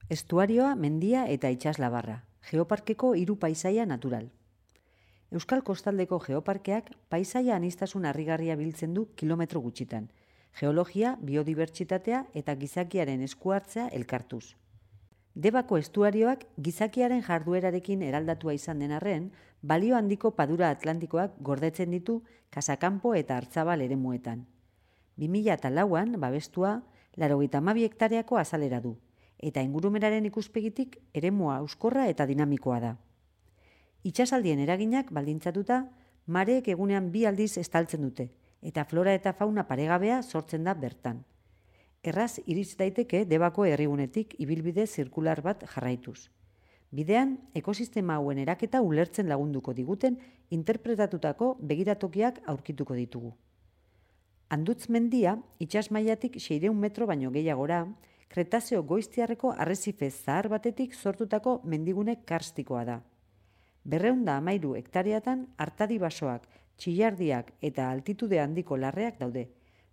Estuarioa, mendia eta itsaslabarra. Geoparkeko 3 paisaia natural. Euskal Kostaldeko Geoparkeak paisaia aniztasun harrigarria biltzen du kilometro gutxitan. Geologia, biodibertsitatea eta gizakiaren eskuhartzea elkartuz. Debako estuarioak gizakiaren jarduerarekin eraldatua izan den arren, balio handiko padura atlantikoak gordetzen ditu Kasakanpo eta Artzabal eremuetan. 2004an babestua 92 hektareako azalera du, eta ingurumenaren ikuspegitik eremua euskorra eta dinamikoa da. Itsasaldien eraginak baldintzatuta, mareek egunean 2 aldiz estaltzen dute, eta flora eta fauna paregabea sortzen da bertan. Erraz iritz daiteke Debako herrigunetik ibilbide zirkular bat jarraituz. Bidean, ekosistema hauen eraketa ulertzen lagunduko diguten interpretatutako begiratokiak aurkituko ditugu. Andutz mendia, itsas mailatik 600 metro baino gehiagora, Kretazeo goiztiarreko arrezife zahar batetik sortutako mendigune karstikoa da. 213 hektareatan artadi basoak, txillardiak eta altitude handiko larreak daude,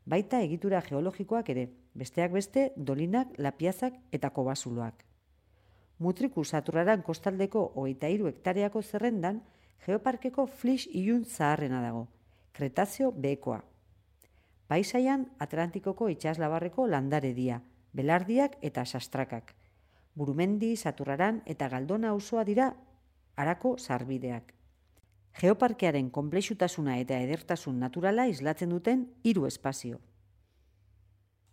baita egitura geologikoak ere, besteak beste dolinak, lapiazak eta kobasuloak. Mutriku Saturraran kostaldeko 23 hektareako zerrendan, Geoparkeko Flix ilun zaharrena dago, Kretazeo behekoa. Paisaian Atlantikoko itsaslabarreko landaredia, belardiak eta sastrakak. Burumendi, Saturraran eta Galdona auzoa dira harako sarbideak. Geoparkearen konplexutasuna eta edertasun naturala islatzen duten 3 espazio.